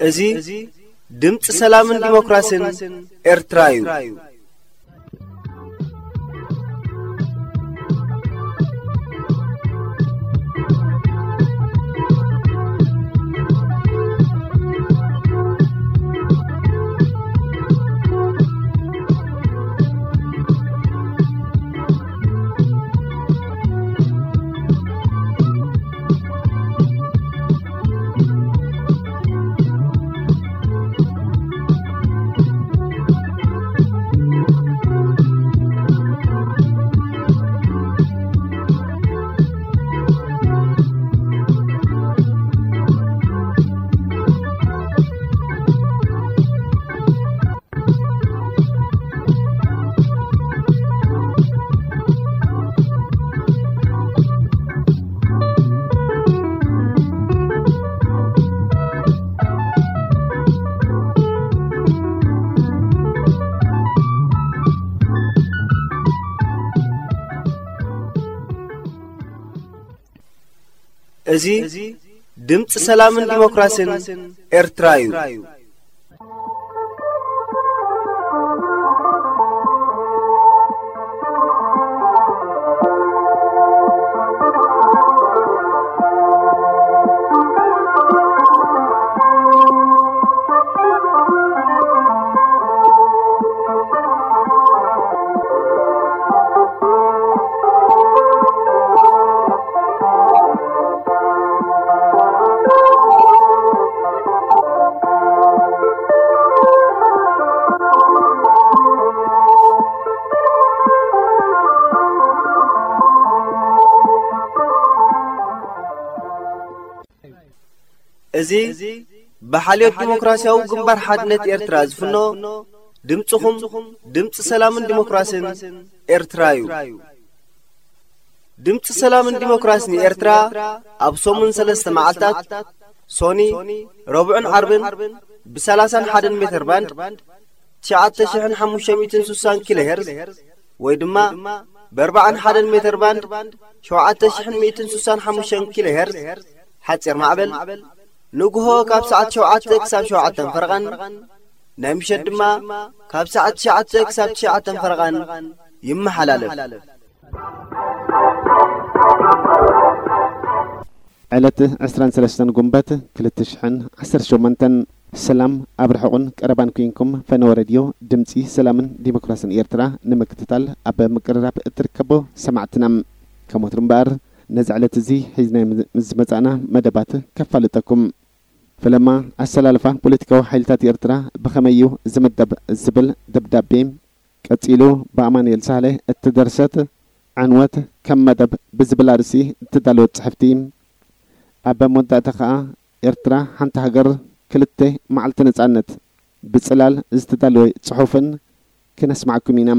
እዚ ድምፂ ሰላምን ዲሞክራሲን ኤርትራ እዩ። እዚ ድምፂ ሰላምን ዲሞክራሲን ኤርትራ እዩ። እዚ ብሓልዮት ዲሞክራሲያዊ ግንባር ሓድነት ኤርትራ ዝፍኖ ድምፅኹም ድምፂ ሰላምን ዲሞክራሲን ኤርትራ እዩ። ድምፂ ሰላምን ዲሞክራሲን ኤርትራ ኣብ ሰሙን ሰለስተ መዓልታት ሶኒ፣ ረቡዕን ዓርብን ብ ሰላሳን ሓደን ሜተር ባንድ ትሽዓተ ሽሕን ሓሙሽተ ሚእትን ስሳን ኪሎ ሄርዝ ወይ ድማ ብ ኣርባዓን ሓደን ሜተር ባንድ ሸውዓተ ሽሕን ሚእትን ስሳን ሓሙሽተን ኪሎ ሄርዝ ሓፂር ማዕበል ንግሆ ካብ ሰዓት ሸውዓተ ክሳብ ሸውዓተን ፈረቓን ናይ ምሸት ድማ ካብ ሰዓት ትሽዓተ ክሳብ ትሽዓተን ፈረቓን ይመሓላለፍ። ዕለት ዕስራን ሰለስተን ጉንበት ክልተ ሽሕን ዓሰርተ ሸሞንተን። ሰላም ኣብ ርሑቕን ቀረባን ኩንኩም ፈነወ ሬድዮ ድምፂ ሰላምን ዲሞክራስን ኤርትራ ንምክትታል ኣብ ምቅርራብ እትርከቡ ሰማዕትና። ከም ወትሩ እምበኣር ነዚ ዕለት እዚ ሒዝናዮ ምስ መጻእና መደባት ከፋልጠኩም። ፈለማ ኣሰላልፋ ፖለቲካዊ ሓይልታት ኤርትራ ብኸመይ እዩ ዝምደብ ዝብል ደብዳቤ ቀጺሉ ብኣማኑኤል ሳህለ እተደርሰት ዕንወት ከም መደብ ብዝብል ኣርእስቲ እተዳለወት ጽሕፍቲ። ኣብ መወዳእታ ከኣ ኤርትራ ሓንቲ ሃገር ክልተ መዓልቲ ነጻነት ብጽላል ዝተዳለወ ጽሑፍን ክነስማዓኩም ኢና።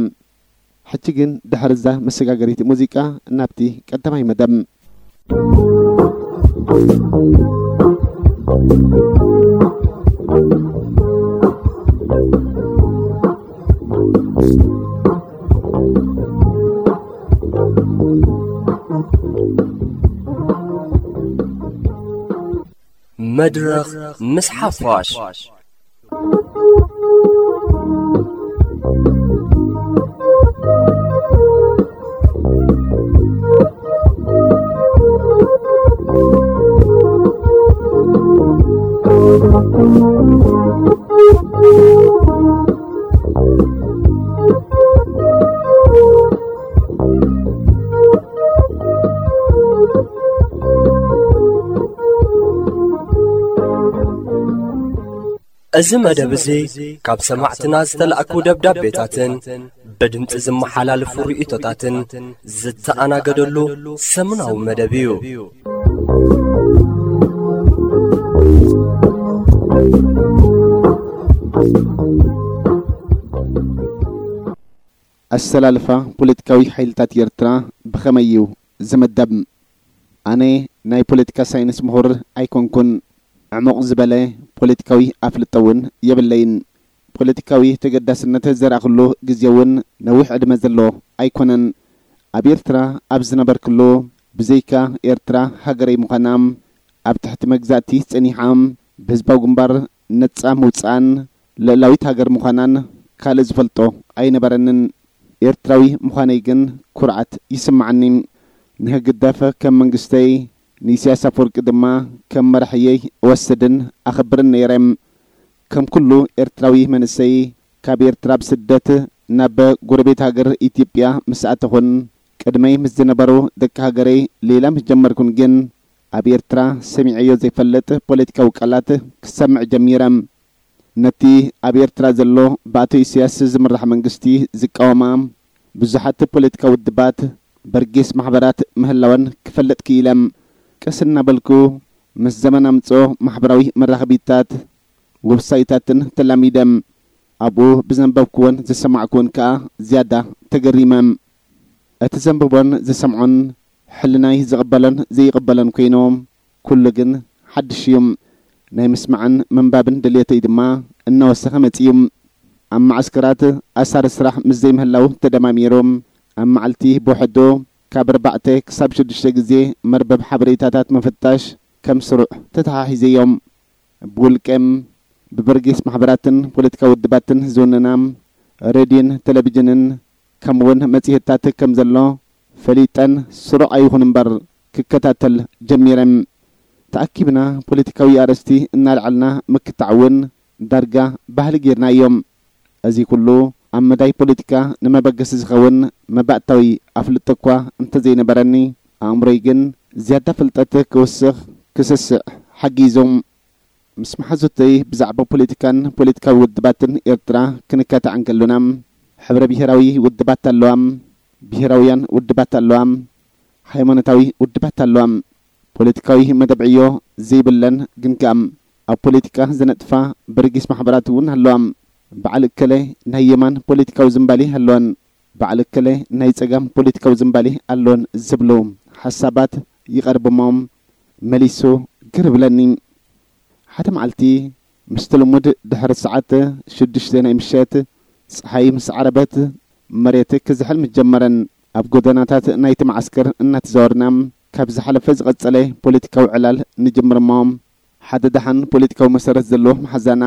ሕጂ ግን ድሕሪ እዛ መሰጋገሪት ሙዚቃ ናብቲ ቀዳማይ መደብ። መድረኽ ምስ ሓፋሽ። እዚ መደብ እዚ ካብ ሰማዕትና ዝተላእኩ ደብዳቤታትን ብድምጺ ዝመሓላለፉ ርእይቶታትን ዝተኣናገደሉ ሰሙናዊ መደብ እዩ። ኣሰላልፋ ፖለቲካዊ ሓይልታት ኤርትራ ብኸመይ እዩ ዝምደብ? ኣነ ናይ ፖለቲካ ሳይንስ ምሁር ኣይኮንኩን። ዕሙቕ ዝበለ ፖለቲካዊ ኣፍልጦ እውን የብለይን። ፖለቲካዊ ተገዳስነት ዘርኣኽሉ ግዜ እውን ነዊሕ ዕድመ ዘሎ ኣይኮነን። ኣብ ኤርትራ ኣብ ዝነበርክሉ፣ ብዘይካ ኤርትራ ሃገረይ ምዃና፣ ኣብ ትሕቲ መግዛእቲ ጸኒሓ፣ ብህዝባዊ ግንባር ነጻ ምውጻእን ልእላዊት ሃገር ምዃናን ካልእ ዝፈልጦ ኣይነበረንን። ኤርትራዊ ምዃነይ ግን ኩርዓት ይስምዓኒ። ንህግደፍ ከም መንግስተይ፣ ንኢሳያስ ኣፈወርቂ ድማ ከም መራሕየይ እወስድን ኣኸብርን ነይረ። ከም ኩሉ ኤርትራዊ መንእሰይ፣ ካብ ኤርትራ ብስደት ናብ ጎረቤት ሃገር ኢትዮጵያ ምስ ኣተኹን፣ ቅድመይ ምስ ዝነበሩ ደቂ ሃገረይ ሌላ ምስ ጀመርኩን ግን፣ ኣብ ኤርትራ ሰሚዐዮ ዘይፈልጥ ፖለቲካዊ ቃላት ክሰምዕ ጀሚረ። ነቲ ኣብ ኤርትራ ዘሎ ብኣቶ ኢሳያስ ዝምራሕ መንግስቲ ዝቃወማ ብዙሓት ፖለቲካዊ ውድባት፣ በርጌስ ማሕበራት ምህላወን ክፈልጥ ክኢለ። ቀስ እናበልኩ ምስ ዘመን ኣምጽኦ ማሕበራዊ መራኸቢታት፣ ዌብሳይታትን ተላሚደ። ኣብኡ ብዘንበብኩዎን ዝሰማዕኩዎን ከኣ ዝያዳ ተገሪመ። እቲ ዘንብቦን ዝሰምዖን ሕልናይ ዝቕበሎን ዘይቕበሎን ኮይኑ፣ ኩሉ ግን ሓድሽ እዩ። ናይ ምስማዕን ምንባብን ድልየተይ ድማ እናወሰኸ መጺኡ። ኣብ መዓስከራት ኣሳሪ ስራሕ ምስ ዘይምህላው ተደማሚሩ፣ ኣብ መዓልቲ ብውሕዱ ካብ ኣርባዕተ ክሳብ ሽዱሽተ ግዜ መርበብ ሓበሬታታት ምፍታሽ ከም ስሩዕ ተተሓሒዘዮም። ብውልቀም ብበርጌስ ማሕበራትን ፖለቲካዊ ውድባትን ዝውንና ሬድዮን ቴሌቪዥንን ከምኡውን መጽሔታት ከም ዘሎ ፈሊጠን ስሩዕ ኣይኹን እምበር ክከታተል ጀሚረን። ተኣኪብና ፖለቲካዊ ኣርእስቲ እናልዓልና ምክታዕ እውን ዳርጋ ባህሊ ጌርናዮ። እዚ ኩሉ ኣብ መዳይ ፖለቲካ ንመበገሲ ዝኸውን መባእታዊ ኣፍልጦ እኳ እንተዘይነበረኒ፣ ኣእምሮይ ግን ዝያዳ ፍልጠት ክውስኽ ክስስዕ ሓጊዙ። ምስ መሓዙተይ ብዛዕባ ፖለቲካን ፖለቲካዊ ውድባትን ኤርትራ ክንካታዕ እንከሎና፣ ሕብረ ብሄራዊ ውድባት ኣለዋ፣ ብሄራውያን ውድባት ኣለዋ፣ ሃይማኖታዊ ውድባት ኣለዋ። ፖለቲካዊ መደብ ዕዮ ዘይብለን ግን ከኣ ኣብ ፖለቲካ ዝነጥፋ በርጊስ ማሕበራት እውን ኣለዋ። በዓል እከለ ናይ የማን ፖለቲካዊ ዝንባሌ ኣለወን፣ በዓል እከለ ናይ ጸጋም ፖለቲካዊ ዝንባሌ ኣለወን ዝብሉ ሓሳባት ይቐርብሞ መሊሱ ግር ብለኒ። ሓደ መዓልቲ ምስቲ ልሙድ ድሕሪ ሰዓት ሽዱሽተ ናይ ምሸት ጸሓይ ምስ ዓረበት መሬት ክዝሕል ምስ ጀመረን ኣብ ጎደናታት ናይቲ መዓስከር እናተዛወርና ካብ ዝሓለፈ ዝቐጸለ ፖለቲካዊ ዕላል ንጅምር እሞ ሓደ ደሓን ፖለቲካዊ መሰረት ዘለዎ መሓዛና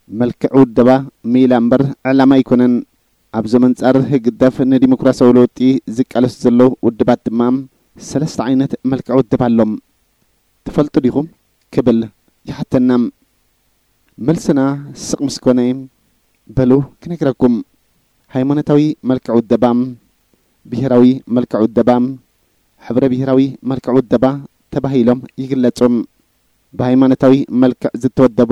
መልክዕ ውደባ ሜላ እምበር ዕላማ ኣይኮነን። ኣብ ዘመንጻር ህግደፍ ንዲሞክራሲያዊ ለውጢ ዝቃለሱ ዘለዉ ውድባት ድማ ሰለስተ ዓይነት መልክዕ ውድብ ኣሎም። ትፈልጡ ዲኹም? ክብል ይሓተና። መልስና ስቕ ምስ ኮነ፣ በሉ ክነግረኩም። ሃይማኖታዊ መልክዕ ውደባ፣ ብሄራዊ መልክዕ ውደባ፣ ሕብረ ብሄራዊ መልክዕ ውደባ ተባሂሎም ይግለጹ። ብሃይማኖታዊ መልክዕ ዝተወደቡ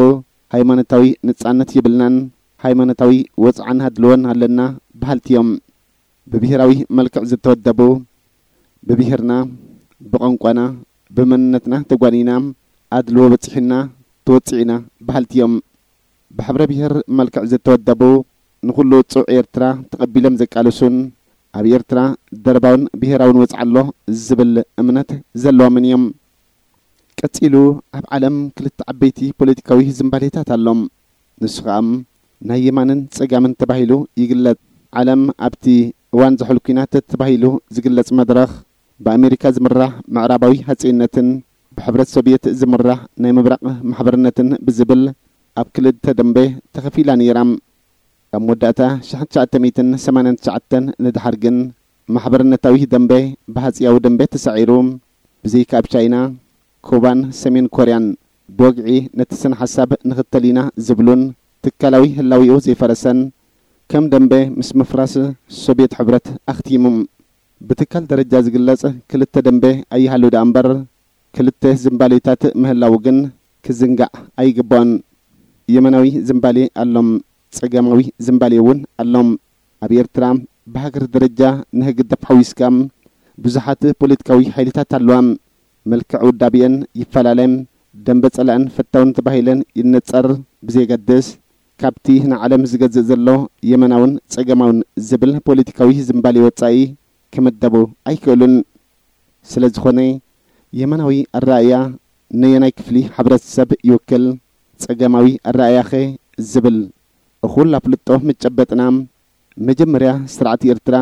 ሃይማኖታዊ ነጻነት ይብልናን ሃይማኖታዊ ወጽዓን ሃድልዎን ኣለና በሃልቲ እዮም። ብብሄራዊ መልክዕ ዝተወደቡ ብብሄርና፣ ብቋንቋና፣ ብመንነትና ተጓኒና፣ ኣድልዎ በጺሑና፣ ተወጺዕና በሃልቲ እዮም። ብሕብረ ብሄር መልክዕ ዝተወደቡ ንኹሉ ጽዑ ኤርትራ ተቐቢሎም ዘቃልሱን ኣብ ኤርትራ ደርባውን ብሄራውን ወጽዓ ኣሎ ዝብል እምነት ዘለዎምን እዮም። ቀጺሉ ኣብ ዓለም ክልተ ዓበይቲ ፖለቲካዊ ዝንባሌታት ኣሎ። ንሱ ኸኣ ናይ የማንን ጸጋምን ተባሂሉ ይግለጽ። ዓለም ኣብቲ እዋን ዝሑል ኲናት ተባሂሉ ዝግለጽ መድረኽ ብኣሜሪካ ዝምራሕ ምዕራባዊ ሃጸይነትን ብሕብረት ሶቭየት ዝምራሕ ናይ ምብራቕ ማሕበርነትን ብዝብል ኣብ ክልተ ደንበ ተኸፊላ ነይራ። ካብ መወዳእታ ሽሕን ትሽዓተ ሚእትን ሰማንያን ትሽዓተን ንደሓር ግን ማሕበርነታዊ ደንበ ብሃጸያዊ ደንበ ተሳዒሩ። ብዘይካ ኣብ ቻይና፣ ኩባን ሰሜን ኮርያን ብወግዒ ነቲ ስነ ሓሳብ ንኽተል ኢና ዝብሉን ትካላዊ ህላዊኡ ዘይፈረሰን ከም ደንበ ምስ ምፍራስ ሶቭየት ሕብረት ኣኽቲሙ። ብትካል ደረጃ ዝግለጽ ክልተ ደንበ ኣይሃሉ ደኣ እምበር ክልተ ዝንባሌታት ምህላዉ ግን ክዝንጋዕ ኣይግባኦን። የመናዊ ዝምባሌ ኣሎም፣ ጸጋማዊ ዝምባሌ እውን ኣሎም። ኣብ ኤርትራ ብሃገር ደረጃ ንህግደፍ ሓዊስካ ብዙሓት ፖለቲካዊ ሓይልታት ኣለዋ። መልክዕ ውዳቤአን ይፈላለ። ደንበ ጸላእን ፈታውን ተባሂለን ይነጸር ብዘየገድስ፣ ካብቲ ንዓለም ዝገዝእ ዘሎ የመናውን ጸጋማውን ዝብል ፖለቲካዊ ዝምባሌ ወጻኢ ክምደቡ ኣይክእሉን። ስለ ዝኾነ፣ የመናዊ ኣረኣእያ ነየናይ ክፍሊ ሕብረተሰብ ይውክል? ጸጋማዊ ኣረኣእያኸ? ዝብል እኹል ኣፍልጦ ምጨበጥና፣ መጀመርያ ስርዓት ኤርትራ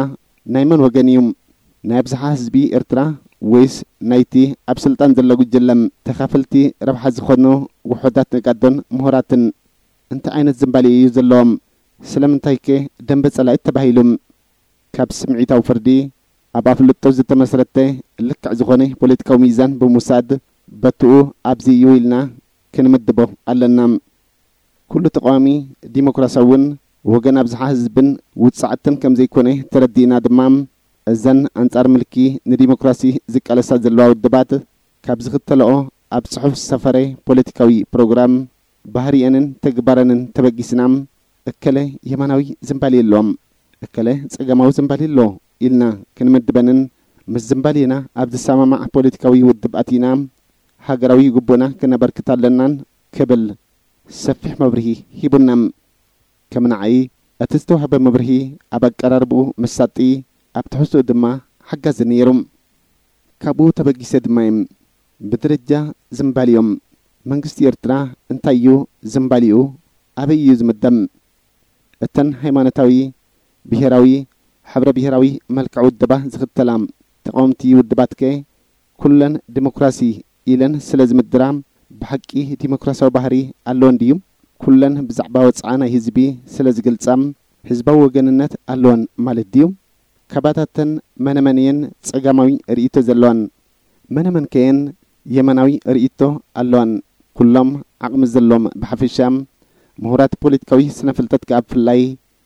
ናይ መን ወገን እዩ? ናይ ኣብዝሓ ህዝቢ ኤርትራ ወይስ ናይቲ ኣብ ስልጣን ዘሎ ጉጅለ? ተኻፈልቲ ረብሓ ዝኾኑ ውሑዳት ነጋዶን ምሁራትን እንታይ ዓይነት ዝምባሌ እዩ ዘለዎም? ስለምንታይከ ደንበ ጸላኢት ተባሂሉ? ካብ ስምዒታዊ ፍርዲ ኣብ ኣፍልጦ ዝተመስረተ ልክዕ ዝኾነ ፖለቲካዊ ሚዛን ብምውሳድ፣ በትኡ ኣብዚ እዩ ኢልና ክንምድቦ ኣለና። ኩሉ ተቃዋሚ ዲሞክራሲያውን ወገን ኣብዝሓ ህዝብን ውጻዕትን ከም ዘይኮነ ተረዲእና ድማ፣ እዘን ኣንጻር ምልኪ ንዲሞክራሲ ዝቃለሳ ዘለዋ ውድባት ካብ ዝኽተልኦ ኣብ ጽሑፍ ዝሰፈረ ፖለቲካዊ ፕሮግራም፣ ባህሪኤንን ተግባረንን ተበጊስና፣ እከለ የማናዊ ዝምባሌ ኣሎ፣ እከለ ጸጋማዊ ዝምባሌ ኣሎ ኢልና ክንምድበንን ምስ ዝምባሌና ኣብ ዝሰማማዕ ፖለቲካዊ ውድብ ኣቲና ሃገራዊ ግቡእና ክነበርክት ኣለናን ክብል ሰፊሕ መብርሂ ሂቡና። ከም ንዓይ እቲ ዝተዋህበ መብርሂ ኣብ ኣቀራርብኡ መሳጢ፣ ኣብ ትሕዝትኡ ድማ ሓጋዚ ነይሩ። ካብኡ ተበጊሰ ድማ እየ ብደረጃ ዝምባሊኦም መንግስቲ ኤርትራ እንታይ እዩ ዝምባሊኡ? ኣበይ እዩ ዝምደብ? እተን ሃይማኖታዊ፣ ብሄራዊ፣ ሕብረ ብሄራዊ መልክዕ ውድባ ዝኽተላ ተቃወምቲ ውድባትከ ኩለን ዲሞክራሲ ኢለን ስለ ዝምድራ ብሓቂ ዲሞክራሲያዊ ባህሪ ኣለወን ድዩ? ኩለን ብዛዕባ ወጽዓ ናይ ህዝቢ ስለ ዝገልጻ ህዝባዊ ወገንነት ኣለወን ማለት ድዩ? ካባታተን መነመን እየን ጸጋማዊ ርእይቶ ዘለዋን? መነመን ከየን የማናዊ ርእይቶ ኣለዋን? ኩሎም ዓቕሚ ዘለዎም ብሓፈሻ፣ ምሁራት ፖለቲካዊ ስነ ፍልጠት ከኣ ብፍላይ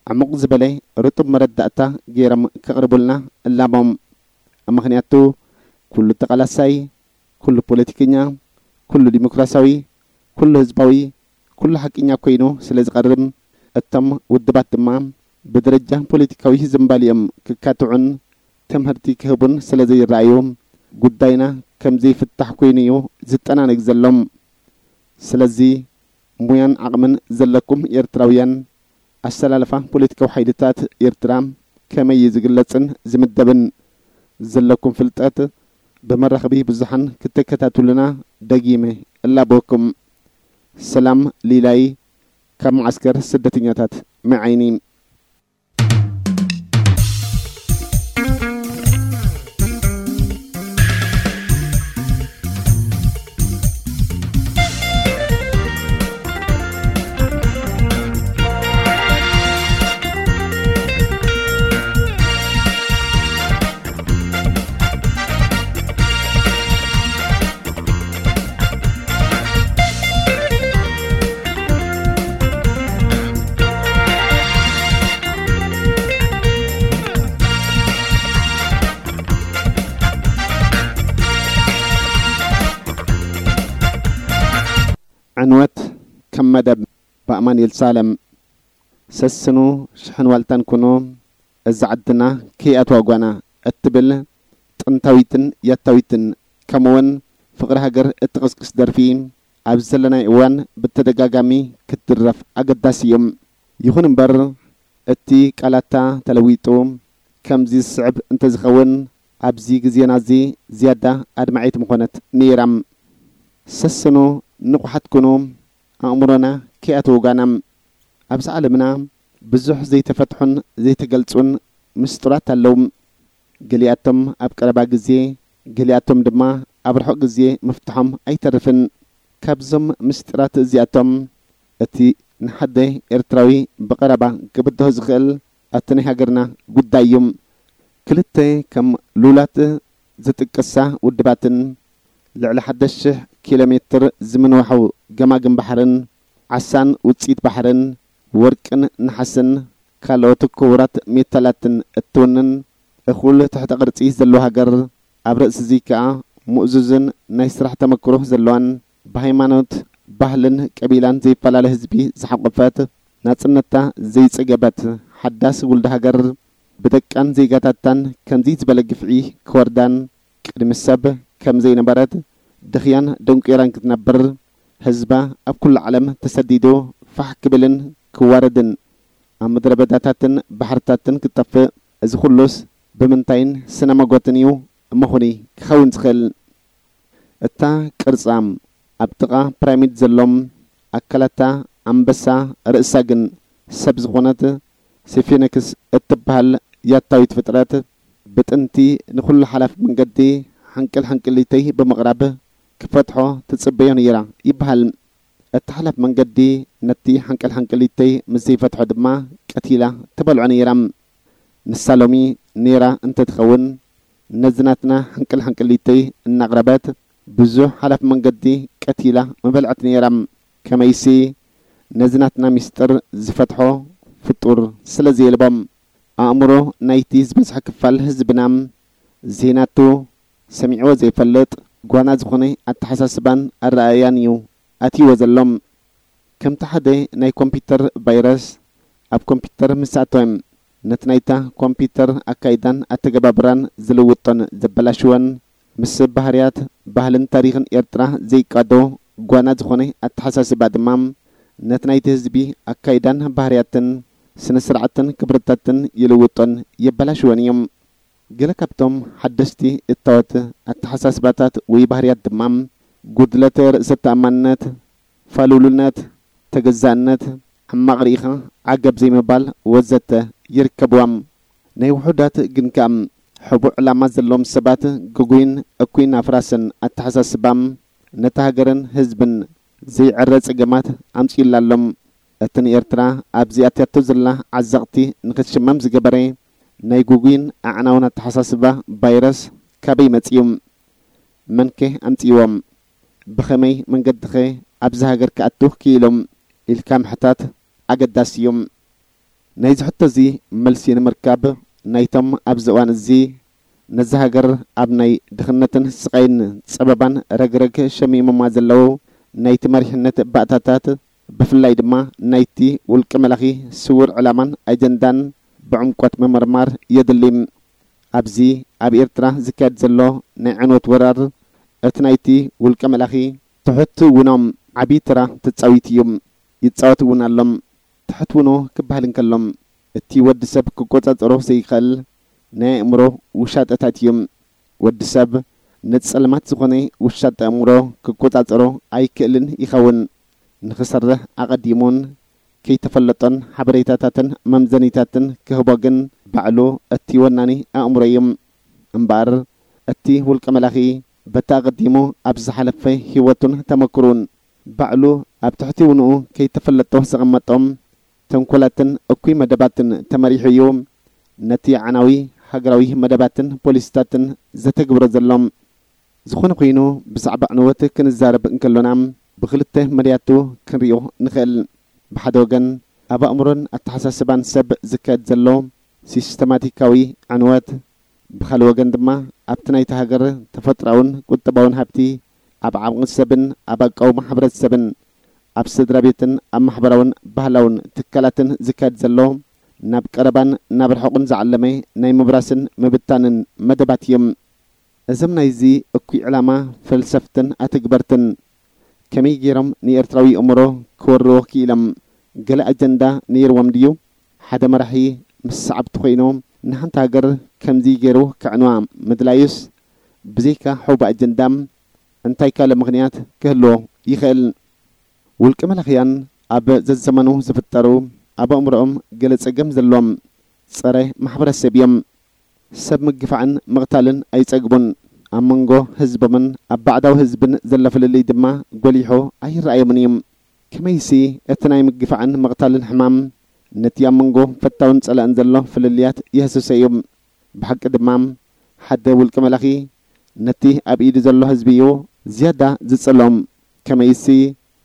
ዕሙቕ ዝበለ ርጡብ መረዳእታ ገይሮም ከቕርቡልና እላቦም። ምኽንያቱ ኩሉ ተቓላሳይ፣ ኩሉ ፖለቲከኛ፣ ኩሉ ዲሞክራሲያዊ፣ ኩሉ ህዝባዊ፣ ኩሉ ሓቅኛ ኮይኑ ስለ ዝቐርብ፣ እቶም ውድባት ድማ ብደረጃ ፖለቲካዊ ዝምባሊኦም ክካትዑን ትምህርቲ ክህቡን ስለ ዘይረኣዩ፣ ጉዳይና ከም ዘይፍታሕ ኮይኑ እዩ ዝጠናነግ ዘሎ። ስለዚ ሙያን ዓቕምን ዘለኩም ኤርትራውያን፣ ኣሰላልፋ ፖለቲካዊ ሓይልታት ኤርትራ ከመይ እዩ ዝግለጽን ዝምደብን ዘለኩም ፍልጠት ብመራኸቢ ብዙሓን ክትከታተሉና ደጊመ እላበወኩም። ሰላም ሊላይ ካብ መዓስከር ስደተኛታት መዓይኒ። ዕንወት ከም መደብ ብኣማኑኤል ሳለም። ሰስኑ ሽሕን ዋልታን ኩኑ፣ እዛ ዓድና ከይኣትዋ ጓና እትብል ጥንታዊትን ያታዊትን ከምኡውን ፍቕሪ ሃገር እትቕስቅስ ደርፊ ኣብዚ ዘለናይ እዋን ብተደጋጋሚ ክትድረፍ ኣገዳሲ እዩ። ይኹን እምበር እቲ ቃላታ ተለዊጡ ከምዚ ዝስዕብ እንተዝኸውን ኣብዚ ግዜና እዚ ዝያዳ ኣድማዒት ምኾነት ነይራ። ሰስኑ ንቑሓት ኩኑ፣ ኣእምሮና ከይኣተወጋና። ኣብዚ ዓለምና ብዙሕ ዘይተፈትሑን ዘይተገልጹን ምስጢራት ኣለዉ። ገሊኣቶም ኣብ ቀረባ ግዜ፣ ገሊኣቶም ድማ ኣብ ርሑቕ ግዜ ምፍትሖም ኣይተርፍን። ካብዞም ምስጢራት እዚኣቶም እቲ ንሓደ ኤርትራዊ ብቐረባ ክብድሆ ዝኽእል ኣብቲ ናይ ሃገርና ጉዳይ እዩ። ክልተ ከም ሉላት ዝጥቀሳ ውድባትን ልዕሊ ሓደ ሽሕ ኪሎ ሜትር ዝምንዋሑ ገማግም ባሕርን ዓሳን ውጽኢት ባሕርን ወርቅን ነሓስን ካልኦት ክቡራት ሜታላትን እትውንን እኹል ትሕተ ቅርጺ ዘለዋ ሃገር፣ ኣብ ርእሲ እዚ ከኣ ምእዙዝን ናይ ስራሕ ተመክሮ ዘለዋን ብሃይማኖት ባህልን ቀቢላን ዘይፈላለ ህዝቢ ዝሓቆፈት፣ ናጽነታ ዘይጸገበት ሓዳስ ውልድ ሃገር፣ ብደቃን ዜጋታታን ከምዚ ዝበለ ግፍዒ ክወርዳን፣ ቅድሚ ሰብ ከም ዘይነበረት፣ ድኽያን ደንቁራን ክትነብር፣ ህዝባ ኣብ ኩሉ ዓለም ተሰዲዱ ፋሕ ክብልን ክዋረድን፣ ኣብ ምድረ በዳታትን ባሕርታትን ክጠፍእ፣ እዚ ኩሉስ ብምንታይን ስነ መጎትን እዩ እሞ ኹኒ ክኸውን ዝኽእል? እታ ቅርጻ ኣብ ጥቓ ፒራሚድ ዘሎም ኣካላታ ኣንበሳ፣ ርእሳ ግን ሰብ ዝኾነት ሲፊንክስ እትበሃል ያታዊት ፍጥረት፣ ብጥንቲ ንኹሉ ሓላፍ መንገዲ ሓንቅል ሓንቅሊተይ ብምቕራብ ክፈትሖ ትጽበዮ ነይራ ይበሃል። እቲ ሓላፍ መንገዲ ነቲ ሓንቅል ሓንቅሊተይ ምስ ዘይፈትሖ ድማ ቀቲላ ትበልዖ ነይራ። ንሳ ሎሚ ነይራ እንተትኸውን፣ ነዚ ናትና ሓንቅል ሓንቅሊተይ እናቕረበት ብዙሕ ሓላፍ መንገዲ ቀቲላ ምበልዐት ነይራ። ከመይሲ ነዚ ናትና ሚስጥር ዝፈትሖ ፍጡር ስለ ዘየልቦም። ኣእምሮ ናይቲ ዝበዝሐ ክፋል ህዝብና ዘይናቱ ሰሚዕዎ ዘይፈልጥ ጓና ዝኾነ ኣተሓሳስባን ኣረኣእያን እዩ ኣትይዎ ዘሎም። ከምቲ ሓደ ናይ ኮምፒውተር ቫይረስ ኣብ ኮምፒውተር ምስ ኣተወ፣ ነቲ ናይታ ኮምፒውተር ኣካይዳን ኣተገባብራን ዝልውጦን ዘበላሽወን፣ ምስ ባህርያት፣ ባህልን ታሪኽን ኤርትራ ዘይቃዶ ጓና ዝኾነ ኣተሓሳስባ ድማ፣ ነቲ ናይቲ ህዝቢ ኣካይዳን ባህርያትን ስነ ስርዓትን ክብርታትን ይልውጦን የበላሽወን እዮም። ገለ ካብቶም ሓደስቲ እታወት ኣተሓሳስባታት ወይ ባህርያት ድማ፣ ጉድለት ርእሰ ተኣማንነት፣ ፋሉልነት፣ ተገዛእነት፣ ሕማቕ ርኢኻ ዓገብ ዘይምባል ወዘተ ይርከብዋም። ናይ ውሑዳት ግን ከኣ፣ ሕቡእ ዕላማ ዘለዎም ሰባት ግጉይን እኩይን ኣፍራስን ኣተሓሳስባም፣ ነታ ሃገርን ህዝብን ዘይዕረ ጸገማት ኣምጺኡላ ኣሎም። እቲ ንኤርትራ ኣብዚ ኣትያቶ ዘላ ዓዘቕቲ ንኽትሽመም ዝገበረ ናይ ግጉይን ኣዕናውን ኣተሓሳስባ ቫይረስ ካበይ መጺኡ? መንከ ኣምጺእዎም? ብኸመይ መንገድኸ ኣብዚ ሃገር ክኣቱ ክኢሎም? ኢልካ ምሕታት ኣገዳሲ እዩ። ናይዚ ሕቶ እዚ መልሲ ንምርካብ፣ ናይቶም ኣብዚ እዋን እዚ ነዛ ሃገር ኣብ ናይ ድኽነትን ስቓይን ጸበባን ረግረግ ሸሚሞማ ዘለዉ ናይቲ መሪሕነት ባእታታት፣ ብፍላይ ድማ ናይቲ ውልቀ መላኺ ስዉር ዕላማን ኣጀንዳን ብዕምቆት ምምርማር የድሊ። ኣብዚ ኣብ ኤርትራ ዝካየድ ዘሎ ናይ ዕንወት ወራር፣ እቲ ናይቲ ውልቀ መላኺ ትሑት ውኖ ዓቢ ተራ ተጻዊቱ እዩ፣ ይጻወት እውን ኣሎም። ትሑት ውኖ ክበሃል እንከሎ፣ እቲ ወዲ ሰብ ክቆጻጸሮ ዘይክእል ናይ ኣእምሮ ውሻጠታት እዩ። ወዲ ሰብ ነቲ ጸልማት ዝኾነ ውሻጠ ኣእምሮ ክቆጻጸሮ ኣይክእልን ይኸውን። ንኽሰርሕ ኣቐዲሙን ከይተፈለጦን ሓበሬታታትን መምዘኒታትን ክህቦ ግን ባዕሉ እቲ ወናኒ ኣእምሮ እዩ። እምበኣር እቲ ውልቀ መላኺ በቲ ኣቐዲሙ ኣብ ዝሓለፈ ህይወቱን ተመክሮኡን ባዕሉ ኣብ ትሕቲ ውንኡ ከይተፈለጦ ዘቐመጦም ተንኮላትን እኩይ መደባትን ተመሪሑ እዩ ነቲ ኣዕናዊ ሃገራዊ መደባትን ፖሊሲታትን ዘተግብሮ ዘሎ። ዝኾነ ኮይኑ፣ ብዛዕባ ዕንወት ክንዛረብ እንከሎና፣ ብኽልተ መዳያቱ ክንሪኦ ንኽእል። ብሓደ ወገን፣ ኣብ ኣእምሮን ኣተሓሳስባን ሰብ ዝካየድ ዘሎ ሲስተማቲካዊ ዕንወት፣ ብኻልእ ወገን ድማ፣ ኣብቲ ናይታ ሃገር ተፈጥሮኣውን ቁጠባውን ሃብቲ፣ ኣብ ዓቕሚ ሰብን ኣብ ኣቃውማ ሕብረተሰብን፣ ኣብ ስድራ ቤትን ኣብ ማሕበራውን ባህላውን ትካላትን ዝካየድ ዘሎ፣ ናብ ቀረባን ናብ ርሑቕን ዝዓለመ ናይ ምብራስን ምብታንን መደባት እዮም። እዞም ናይዚ እኩይ ዕላማ ፈልሰፍትን ኣተግበርትን ከመይ ገይሮም ንኤርትራዊ ኣእምሮ ክወርዎ ክኢሎም? ገለ ኣጀንዳ ነይርዎም ድዩ? ሓደ መራሒ ምስ ሰዓብቲ ኮይኑ ንሓንቲ ሃገር ከምዚ ገይሩ ከዕንዋ ምድላዩስ ብዘይካ ሕቡእ ኣጀንዳ እንታይ ካልእ ምኽንያት ክህልዎ ይኽእል? ውልቀ መላኽያን ኣብ ዘዘመኑ ዝፍጠሩ ኣብ ኣእምሮኦም ገለ ጸገም ዘለዎም ጸረ ማሕበረሰብ እዮም። ሰብ ምግፋዕን ምቕታልን ኣይጸግቡን። ኣብ መንጎ ህዝቦምን ኣብ ባዕዳዊ ህዝብን ዘሎ ፍልልይ ድማ ጎሊሑ ኣይረኣዮምን እዩ። ከመይሲ እቲ ናይ ምግፋዕን ምቕታልን ሕማም ነቲ ኣብ መንጎ ፈታውን ጸላእን ዘሎ ፍልልያት የህስሶ እዩ። ብሓቂ ድማ ሓደ ውልቀ መላኺ ነቲ ኣብ ኢዱ ዘሎ ህዝቢ እዩ ዝያዳ ዝጸልኦም። ከመይሲ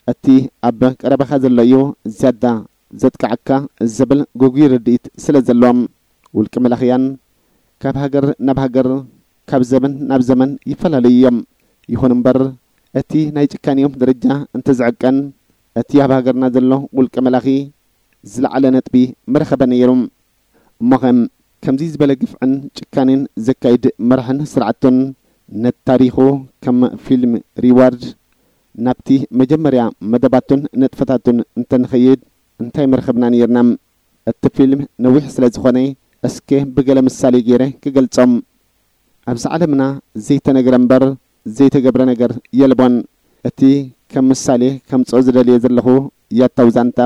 እቲ ኣብ ቀረባኻ ዘሎ እዩ ዝያዳ ዘጥቅዓካ ዝብል ግጉይ ርድኢት ስለ ዘለዎም። ውልቀ መላኽያን ካብ ሃገር ናብ ሃገር፣ ካብ ዘመን ናብ ዘመን ይፈላለዩ እዮም። ይኹን እምበር፣ እቲ ናይ ጭካኔኦም ደረጃ እንተዝዕቀን፣ እቲ ኣብ ሃገርና ዘሎ ውልቀ መላኺ ዝለዓለ ነጥቢ ምረኸበ ነይሩ። እሞኸ፣ ከምዚ ዝበለ ግፍዕን ጭካኔን ዘካይድ መራሕን ስርዓቱን፣ ነቲ ታሪኹ ከም ፊልም ሪዋርድ ናብቲ መጀመርያ መደባቱን ንጥፈታቱን እንተንኸይድ፣ እንታይ ምረኸብና ነይርና? እቲ ፊልም ነዊሕ ስለ ዝኾነ፣ እስከ ብገለ ምሳሌ ገይረ ክገልጾም። ኣብዚ ዓለምና ዘይተነግረ እምበር ዘይተገብረ ነገር የልቦን። እቲ ከም ምሳሌ ከምጽኦ ዝደልየ ዘለኹ ያታው ዛንታ፣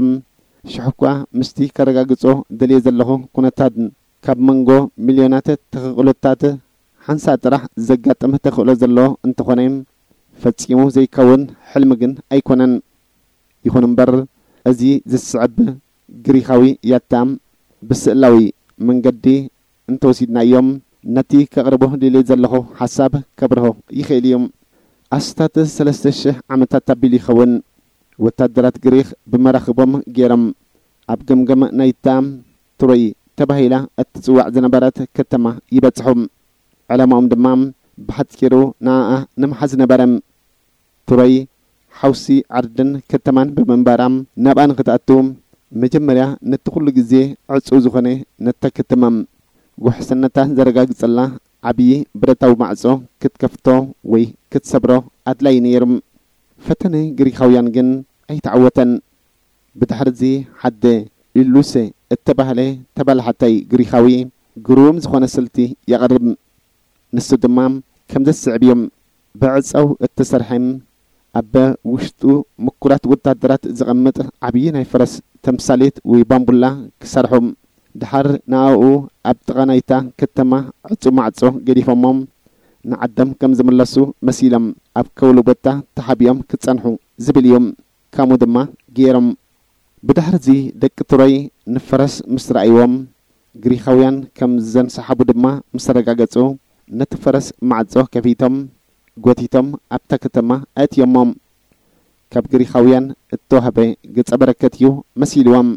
ሽሕኳ ምስቲ ከረጋግጾ ደልየ ዘለኹ ኩነታት፣ ካብ መንጎ ሚልዮናት ተኽእሎታት ሓንሳእ ጥራሕ ዘጋጥም ተኽእሎ ዘሎ እንተኾነ፣ ፈጺሙ ዘይከውን ሕልሚ ግን ኣይኮነን። ይኹን እምበር፣ እዚ ዝስዕብ ግሪኻዊ ያታ ብስእላዊ መንገዲ እንተወሲድናዮም፣ ነቲ ከቕርቦ ደልየ ዘለኹ ሓሳብ ከብርሆ ይኽእል እዩ። ኣስታት ሰለስተ ሽሕ ዓመታት ኣቢሉ ይኸውን። ወታደራት ግሪኽ ብመራኽቦም ገይሮም ኣብ ገምገም ናይታ ትሮይ ተባሂላ እትጽዋዕ ዝነበረት ከተማ ይበጽሑ። ዕላማኦም ድማ ብሓጺሩ ንኣኣ ንምሓዝ ነበረ። ትሮይ ሓውሲ ዓርድን ከተማን ብምንባራ፣ ናብኣ ንኽትኣቱ መጀመርያ ነቲ ኩሉ ግዜ ዕጹው ዝኾነ ነታ ከተማ ውሕስነታ ዘረጋግጸላ ዓብዪ ብረታዊ ማዕጾ ክትከፍቶ ወይ ክትሰብሮ ኣድላዪ ነይሩ። ፈተነ ግሪኻውያን ግን ኣይተዓወተን። ብድሕርዚ ሓደ ኢሉሴ እተባህለ ተባላሓታይ ግሪኻዊ ግሩም ዝኾነ ስልቲ የቕርብ። ንሱ ድማ ከም ዘስዕብ እዩ። ብዕጸው እተሰርሐ፣ ኣብ ውሽጡ ምኩራት ወታደራት ዘቐምጥ ዓብዪ ናይ ፈረስ ተምሳሌት ወይ ባምቡላ ክሰርሑ። ድሓር ንኣኡ ኣብ ጥቓ ናይታ ከተማ ዕጹ ማዕጾ ገዲፎሞ ንዓዶም ከም ዝምለሱ መሲሎም ኣብ ከውሊ ቦታ ተሓቢኦም ክጸንሑ ዝብል እዩ። ከምኡ ድማ ገይሮም። ብድሕርዚ ደቂ ትሮይ ንፈረስ ምስ ረኣይዎም፣ ግሪኻውያን ከም ዘንሰሓቡ ድማ ምስ ኣረጋገጹ፣ ነቲ ፈረስ ማዕጾ ከፊቶም፣ ጎቲቶም ኣብታ ከተማ ኣእትዮሞም። ካብ ግሪኻውያን እተዋህበ ገጸ በረከት እዩ መሲልዎም።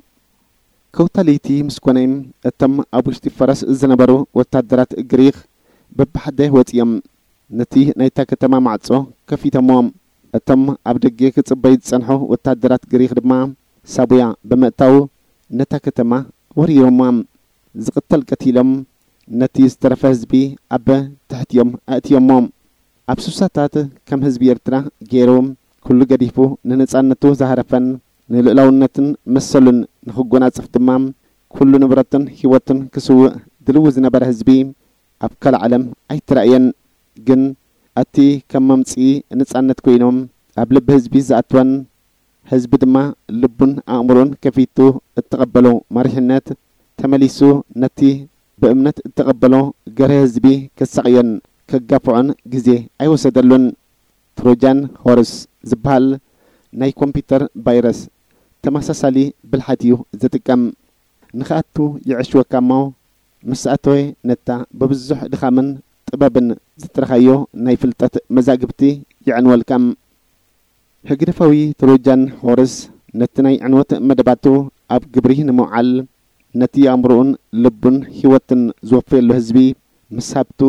ከውታ ለይቲ ምስ ኮነ፣ እቶም ኣብ ውሽጢ ፈረስ ዝነበሩ ወታደራት ግሪኽ በብሓደ ወጺኦም ነቲ ናይታ ከተማ ማዕጾ ከፊቶምዎ። እቶም ኣብ ደገ ክጽበዩ ዝጸንሑ ወታደራት ግሪኽ ድማ ሳቡያ ብምእታው ነታ ከተማ ወሪሮምዋ። ዝቕተል ቀቲሎም፣ ነቲ ዝተረፈ ህዝቢ ኣብ ትሕቲኦም ኣእትዮሞ። ኣብ ሱሳታት ከም ህዝቢ ኤርትራ ገይሩ ኩሉ ገዲፉ ንነጻነቱ ዝሃረፈን ንልኡላውነትን መሰሉን ንኽጎናጽፍ ድማ ኩሉ ንብረቱን ህይወቱን ክስውእ ድልዊ ዝነበረ ህዝቢ ኣብ ካልእ ዓለም ኣይተራእየን። ግን እቲ ከም መምጽኢ ነጻነት ኮይኖም ኣብ ልቢ ህዝቢ ዝኣትወን ህዝቢ ድማ ልቡን ኣእምሮን ከፊቱ እተቐበሎ መሪሕነት ተመሊሱ ነቲ ብእምነት እተቐበሎ ገርህ ህዝቢ ከሳቕዮን ከጋፍዖን ግዜ ኣይወሰደሉን። ትሮጃን ሆርስ ዝበሃል ናይ ኮምፒውተር ቫይረስ ተመሳሳሊ ብልሓት እዩ ዝጥቀም። ንኽኣቱ ይዕሽወካ እሞ፣ ምስ ኣተወ ነታ ብብዙሕ ድኻምን ጥበብን ዝጥረኻዮ ናይ ፍልጠት መዛግብቲ የዕንወልካ። ህግደፋዊ ትሮጃን ሆርስ ነቲ ናይ ዕንወት መደባቱ ኣብ ግብሪ ንምውዓል፣ ነቲ ኣእምሮኡን ልቡን ህይወትን ዝወፈየሉ ህዝቢ ምስ ሃብቱ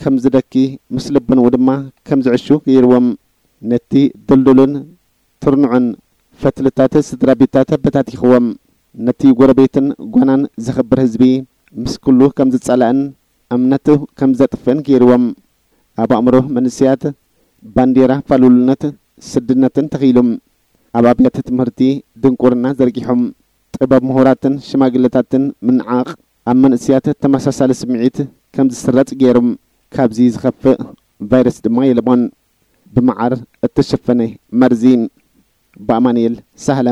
ከም ዝደኪ፣ ምስ ልቦንኡ ድማ ከም ዝዕሹ ገይርዎም። ነቲ ድልዱልን ትርኑዕን ፈትልታት ስድራ ቤታት በታቲኽዎም። ነቲ ጎረቤትን ጓናን ዘኽብር ህዝቢ ምስ ኩሉ ከም ዝጸላእን እምነቱ ከም ዘጥፍእን ገይርዎም። ኣብ ኣእምሮ መንእሰያት ባንዴራ ፋሉልነት ስድነትን ተኺሉ። ኣብ ኣብያተ ትምህርቲ ድንቁርና ዘርጊሖም። ጥበብ ምሁራትን ሽማግለታትን ምንዓቕ ኣብ መንእሰያት ተመሳሳሊ ስምዒት ከም ዝስረጽ ገይሩ። ካብዚ ዝኸፍእ ቫይረስ ድማ የልቦን። ብመዓር እተሸፈነ መርዚ። ብኣማኑኤል ሳህለ።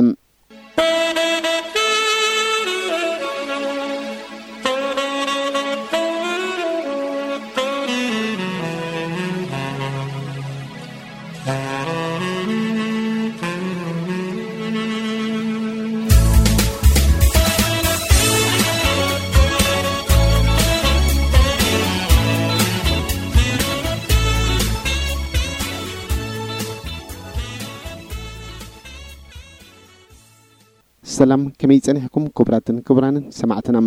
ሰላም፣ ከመይ ጸኒሕኩም ክቡራትን ክቡራንን ሰማዕትና?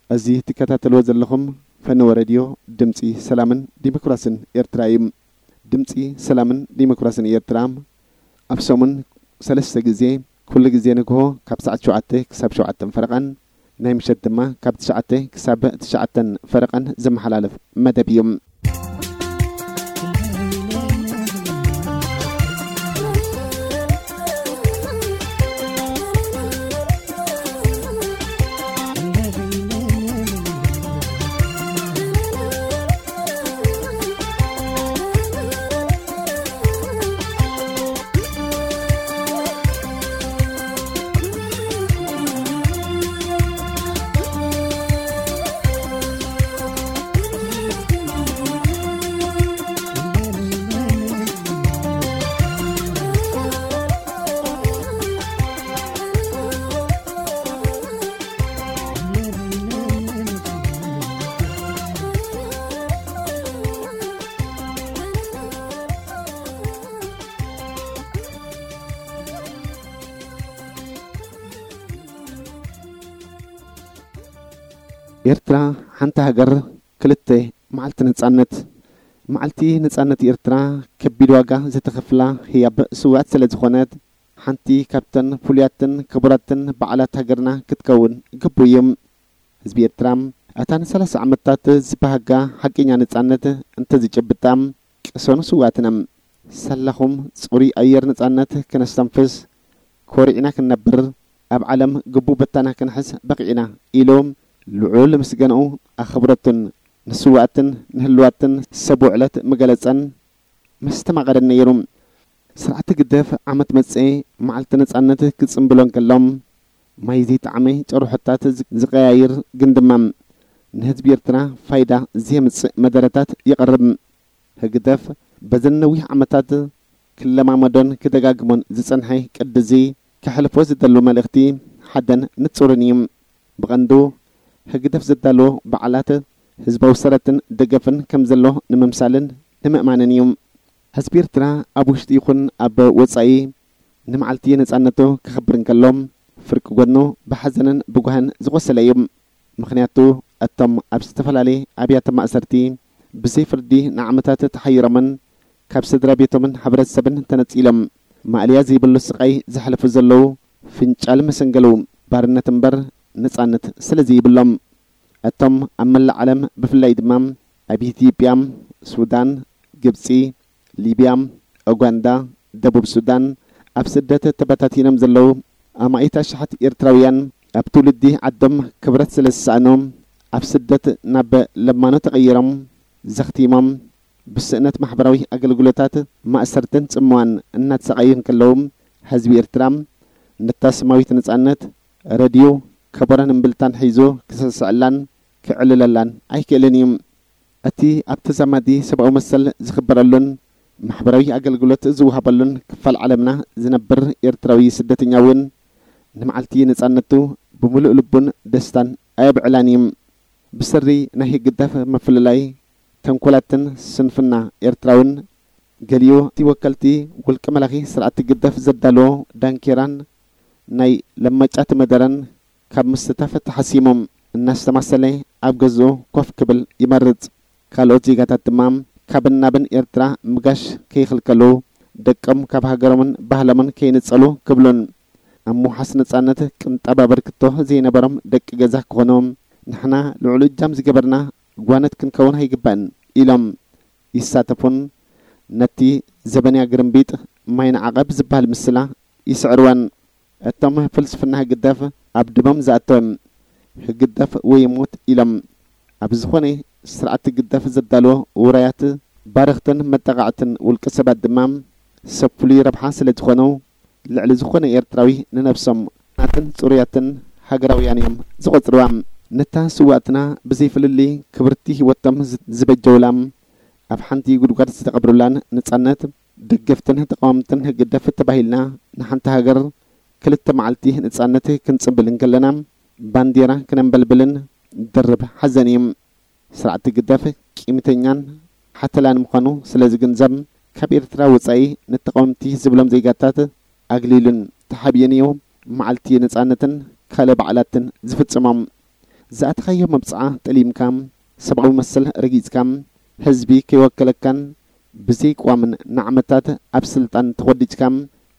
እዚ ትከታተልዎ ዘለኹም ፈነወ ሬድዮ ድምጺ ሰላምን ዲሞክራስን ኤርትራ እዩ። ድምጺ ሰላምን ዲሞክራስን ኤርትራ ኣብ ሰሙን ሰለስተ ግዜ፣ ኩሉ ግዜ ንግሆ ካብ ሰዓት ሸውዓተ ክሳብ ሸውዓተ ፈረቓን፣ ናይ ምሸት ድማ ካብ ትሽዓተ ክሳብ ትሽዓተ ፈረቓን ዝመሓላለፍ መደብ እዩ። ኤርትራ ሓንቲ ሃገር፣ ክልተ መዓልቲ ነጻነት። መዓልቲ ነጻነት ኤርትራ ከቢድ ዋጋ ዝተኸፍላ ህያብ ስውኣት ስለ ዝኾነት፣ ሓንቲ ካብተን ፍሉያትን ክቡራትን በዓላት ሃገርና ክትከውን ግቡእ እዩ። ህዝቢ ኤርትራ፣ ኣታ ንሰላሳ ዓመታት ዝበሃጋ ሓቀኛ ነጻነት እንተዝጭብጣ፣ ቅሰኑ ስውኣትና። ሳላኹም ጽሩይ ኣየር ነጻነት ክነስተንፍስ፣ ኮሪዕና ክንነብር፣ ኣብ ዓለም ግቡእ ቦታና ክንሕዝ በቒዕና ኢሉ፣ ልዑል ምስጋንኡ ኣኽብረቱን ንስውኣትን ንህልዋትን ሰብ ውዕለት ምገለጸን መስተማቐርን ነይሩ። ስርዓት ህግደፍ ዓመት መጸ መዓልቲ ነጻነት ክጽንብሎ እንከሎ፣ ማይ ዘይጠዓመ ጨርሖታት ዝ-፣ ዝቀያይር ግን ድማ ንህዝቢ ኤርትራ ፋይዳ ዘየምጽእ መደረታት የቕርብ። ህግደፍ በዘን ነዊሕ ዓመታት ክለማመዶን ክደጋግሞን ዝጸንሐ ቅዲ እዚ ከሕልፎ ዝደሉ መልእኽቲ ሓደን ንጹርን እዩ። ብቐንዱ ህግደፍ ዘዳለዎ በዓላት ህዝባዊ ሰረትን ደገፍን ከም ዘሎ ንምምሳልን ንምእማንን እዩ። ህዝቢ ኤርትራ ኣብ ውሽጢ ይኹን ኣብ ወጻኢ ንመዓልቲ ነጻነቱ ከኽብር እንከሎ፣ ፍርቂ ጎድኑ ብሓዘንን ብጓህን ዝቖሰለ እዩ። ምኽንያቱ፣ እቶም ኣብ ዝተፈላለየ ኣብያተ ማእሰርቲ ብዘይ ፍርዲ ንዓመታት ተሓይሮምን ካብ ስድራ ቤቶምን ሕብረተሰብን ተነጺሎም ማእለያ ዘይብሉ ስቓይ ዘሕልፉ ዘለዉ፣ ፍንጫል መሰንገሉ ባርነት እምበር ነጻነት ስለ ዘይብሎም፣ እቶም ኣብ መላእ ዓለም፣ ብፍላይ ድማ ኣብ ኢትዮጵያ፣ ሱዳን፣ ግብጺ፣ ሊብያ፣ ኡጋንዳ፣ ደቡብ ሱዳን፣ ኣብ ስደት ተበታቲኖም ዘለዉ ኣማኢት ኣሽሓት ኤርትራውያን፣ ኣብ ትውልዲ ዓዶም ክብረት ስለ ዝሰኣኑ፣ ኣብ ስደት ናብ ለማኖ ተቐይሮም፣ ዘኽቲሞም፣ ብስእነት ማሕበራዊ ኣገልግሎታት፣ ማእሰርትን ጽምዋን እናተሰቓዩ እንከለዉ፣ ህዝቢ ኤርትራ ነታ ስማዊት ነጻነት፣ ረድዮ፣ ከበሮን እምብልታን ሒዙ ክስዕስዐላን ክዕልለላን ኣይክእልን እዩ። እቲ ኣብ ተዛማዲ ሰብኣዊ መሰል ዝኽበረሉን ማሕበራዊ ኣገልግሎት ዝወሃበሉን ክፋል ዓለምና ዝነብር ኤርትራዊ ስደተኛ እውን ንመዓልቲ ነጻነቱ ብምሉእ ልቡን ደስታን ኣየብዕላን እዩ። ብሰሪ ናይ ህግደፍ ምፍልላይ፣ ተንኮላትን ስንፍና ኤርትራውን ገሊኡ እቲ ወከልቲ ውልቀ መላኺ ስርዓት ህግደፍ ዘዳለዎ ዳንኬራን ናይ ለማጫት መደረን ካብ ምስታፍ ተሓሲሞም እናስተማሰለ ኣብ ገዝኡ ኮፍ ክብል ይመርጽ። ካልኦት ዜጋታት ድማ ካብን ናብን ኤርትራ ምጋሽ ከይኽልከሉ፣ ደቆም ካብ ሃገሮምን ባህሎምን ከይንጸሉ ክብሉን ኣብ ምውሓስ ነጻነት ቅንጣብ ኣበርክቶ ዘይነበሮም ደቂ ገዛ ክኾኑ፣ ንሕና ልዑል እጃም ዝገበርና ጓነት ክንከውን ኣይግባእን ኢሎም ይሳተፉን ነቲ ዘበንያ ግርምቢጥ ማይ ንዓቐብ ዝበሃል ምስላ ይስዕርወን። እቶም ፍልስፍና ህግደፍ ኣብ ደሞም ዝኣተወ ህግደፍ ወይ ሞት ኢሎም ኣብ ዝኾነ ስርዓት ህግደፍ ዘዳለዎ ውራያት ባረኽትን መጠቓዕትን ውልቀ ሰባት ድማ ሰብ ፍሉይ ረብሓ ስለ ዝኾኑ ልዕሊ ዝኾነ ኤርትራዊ ንነብሶም ናትን ጽሩያትን ሃገራውያን እዮም ዝቖጽርዋ። ነታ ስዋእትና ብዘይ ፍልልይ ክብርቲ ህይወቶም ዝ-፣ ዝበጀውላ ኣብ ሓንቲ ጉድጓድ ዝተቐብሩላን ነጻነት ደገፍትን ተቃወምትን ህግደፍ ተባሂልና ንሓንቲ ሃገር ክልተ መዓልቲ ነጻነት ክንጽንብል እንከለና ባንዴራ ክነንበልብልን ድርብ ሓዘን እዩ። ስርዓት ህግደፍ ቂምተኛን ሓተላን ምዃኑ ስለ ዝግንዘብ ካብ ኤርትራ ወጻኢ ንተቃወምቲ ዝብሎም ዜጋታት ኣግሊሉን ተሓቢኡን እዩ መዓልቲ ነጻነትን ካልእ በዓላትን ዝፍጽሞም። ዝኣተኻዮ መብጽዓ ጠሊምካ፣ ሰብኣዊ መሰል ረጊጽካ፣ ህዝቢ ከይወከለካን ብዘይቅዋምን ንዓመታት ኣብ ስልጣን ተኾዲጭካ፣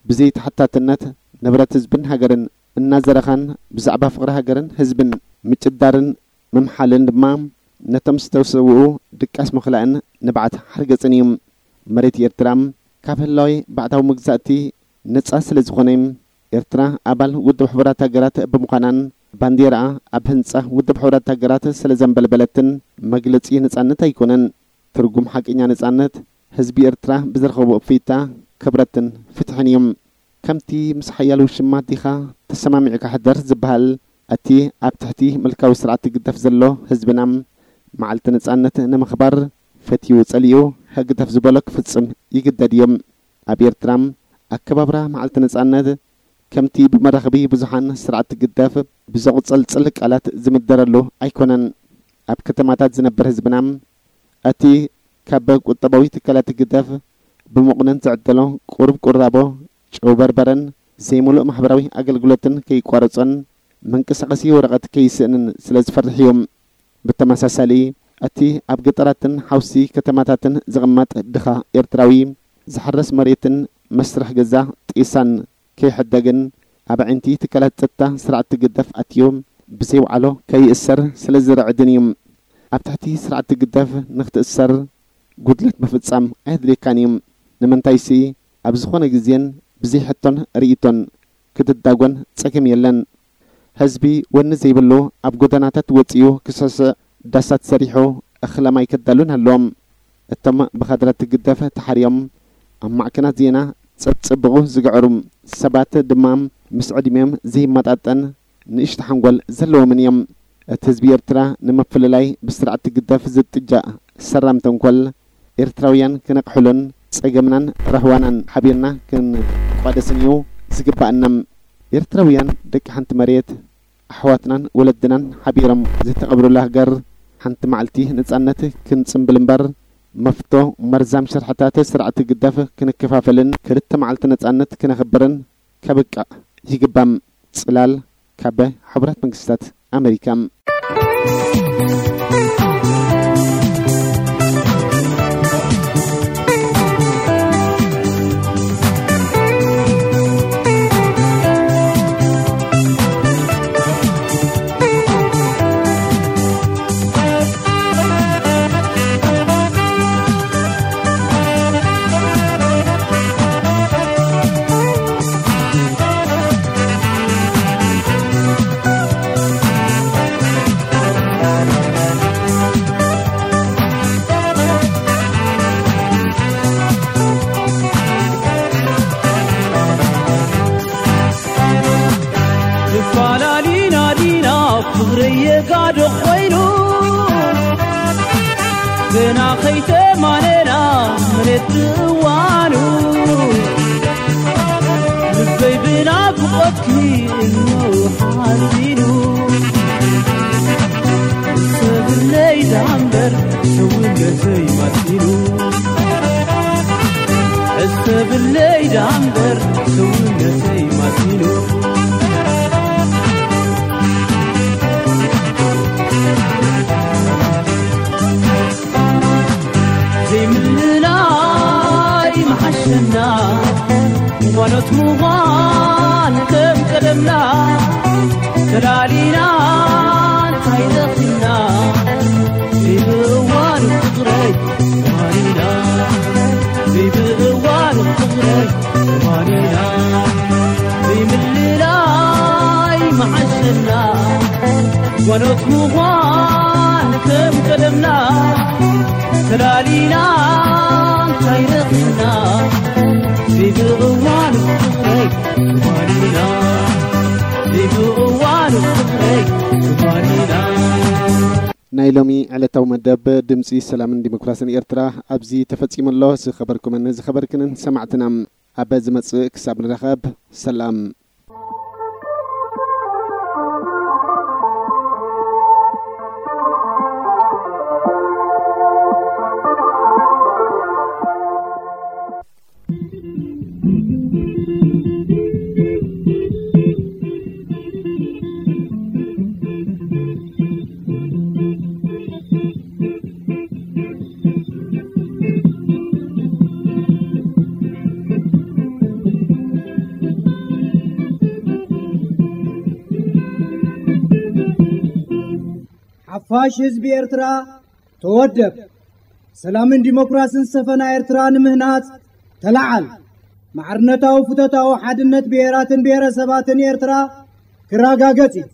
ብዘይተሓታትነት ንብረት ህዝብን ሃገርን እናዘረኻን ብዛዕባ ፍቕሪ ሃገርን ህዝብን ምጭዳርን ምምሓልን ድማ ነቶም ዝተሰውኡ ድቃስ ምኽላእን ንብዓት ሓርገጽን እዩ። መሬት ኤርትራ ካብ ህላዌ ባዕዳዊ መግዛእቲ ነጻ ስለ ዝኾነ፣ ኤርትራ ኣባል ውድብ ሕቡራት ሃገራት ብምዃናን ባንዴራኣ ኣብ ህንጻ ውድብ ሕቡራት ሃገራት ስለ ዘንበልበለትን መግለጺ ነጻነት ኣይኮነን። ትርጉም ሓቀኛ ነጻነት ህዝቢ ኤርትራ ብዝረኸቦ እፎይታ፣ ክብረትን ፍትሕን እዩ። ከምቲ ምስ ሓያል ውሽማ ዲኻ ተሰማሚዕካ ሕደር ዝበሃል፣ እቲ ኣብ ትሕቲ ምልካዊ ስርዓት ህግደፍ ዘሎ ህዝብና፣ መዓልቲ ነጻነት ንምኽባር ፈትዩ ጸሊኡ ህግደፍ ዝበሎ ክፍጽም ይግደድ እዩ። ኣብ ኤርትራ፣ ኣከባብራ መዓልቲ ነጻነት ከምቲ ብመራኸቢ ብዙሓን ስርዓት ህግደፍ ብዘቑጸልጽል ቃላት ዝምደረሉ ኣይኮነን። ኣብ ከተማታት ዝነብር ህዝብና፣ እቲ ካብ ቁጠባዊ ትካላት ህግደፍ ብመቑነን ዝዕደሎ ቁሩብ ቁራቦ፣ ጨው በርበረን ዘይምሉእ ማሕበራዊ ኣገልግሎትን ከይቋረጾን መንቀሳቐሲ ወረቐት ከይስእንን ስለ ዝፈርሕ እዩ። ብተመሳሳሊ፣ እቲ ኣብ ገጠራትን ሓውሲ ከተማታትን ዝቕመጥ ድኻ ኤርትራዊ፣ ዝሕረስ መሬትን መስርሕ ገዛ ጤሳን ከይሕደግን ኣብ ኣዒንቲ ትካላት ጸጥታ ስርዓት ህግደፍ ኣትዩ ብዘይ ወዓሎ ከይእሰር ስለ ዝርዕድን እዩ። ኣብ ትሕቲ ስርዓት ህግደፍ ንኽትእሰር ጉድለት ምፍጻም ኣየድልየካን እዩ። ንምንታይሲ፣ ኣብ ዝኾነ ግዜን ብዘይ ሕቶን ርእይቶን ክትዳጎን ጸገም የለን። ህዝቢ ወኒ ዘይብሉ ኣብ ጎደናታት ወጺኡ ክስዕስዕ፣ ዳሳት ሰሪሑ፣ እኽለ ማይ ከዳሉን ኣለዎም። እቶም ብኻድራት ህግደፍ ተሓርዮም ኣብ ማዕከናት ዜና ጸብጽብቑ ዝግዕሩ ሰባት ድማ ምስ ዕድሚኦም ዘይመጣጠን ንእሽቶ ሓንጎል ዘለዎምን እዮም። እቲ ህዝቢ ኤርትራ ንምፍልላይ ብስርዓት ህግደፍ ዝጥጃእ ሰራም ተንኮል፣ ኤርትራውያን ክነቕሕሉን ጸገምናን ራህዋናን ሓቢርና ክንቋደስን እዩ ዝግባኣና። ኤርትራውያን ደቂ ሓንቲ መሬት፣ ኣሕዋትናን ወለድናን ሓቢሮም ዝተቐብሩላ ሃገር፣ ሓንቲ መዓልቲ ነጻነት ክንጽምብል እምበር፣ መፍቶ መርዛም ሽርሕታት ስርዓት ህግደፍ ክንከፋፈልን ክልተ መዓልቲ ነጻነት ክነኽብርን ከብቅዕ ይግባም። ጽላል ካብ ሕቡራት መንግስታት ኣመሪካ። ተፋላሊና ዲና ፍቕረየ ጋዶ ኮይኑ፣ ገና ከይተማነና መሬት እዋኑ፣ ልበይ ብናፍቆትኪ እኖ ሓዚኑ። ሰብለይ ዳምበር ሰውነተይ ማሲኑ፣ ሕሰብለይ ዳምበር ሰውነተይ ማሲኑ። ዘይምልላይ መሓሸና፣ ጓኖት ምዃን ከም ቀደምና፣ ተላሊና እንታይ ረኺብና? ዘይብእዋን ፍቕረይ ተማኒና፣ ዘይብእዋን ፍቕረይ ተማኒና፣ ዘይምልላይ መሓሸና፣ ጓኖት ምዃን ከም ቀደምና፣ ተላሊና እንታይ ረኺብና? ዘይብእዋን ፍቕረይ ተማኒና፣ ዘይብእዋን ፍቕረይ ተማኒና። ናይ ሎሚ ዕለታዊ መደብ ድምጺ ሰላምን ዲሞክራስን ኤርትራ ኣብዚ ተፈጺሙ ኣሎ። ዝኸበርኩምን ዝኸበርክንን ሰማዕትና፣ ኣብ ዝመጽእ ክሳብ ንራኸብ፣ ሰላም። ፋሽ ህዝቢ ኤርትራ ተወደብ። ሰላምን ዲሞክራስን ዝሰፈና ኤርትራ ንምህናጽ ተላዓል። ማዕርነታዊ ፍቶታዊ ሓድነት ብሄራትን ብሄረሰባትን ኤርትራ ክረጋገጽ እዩ።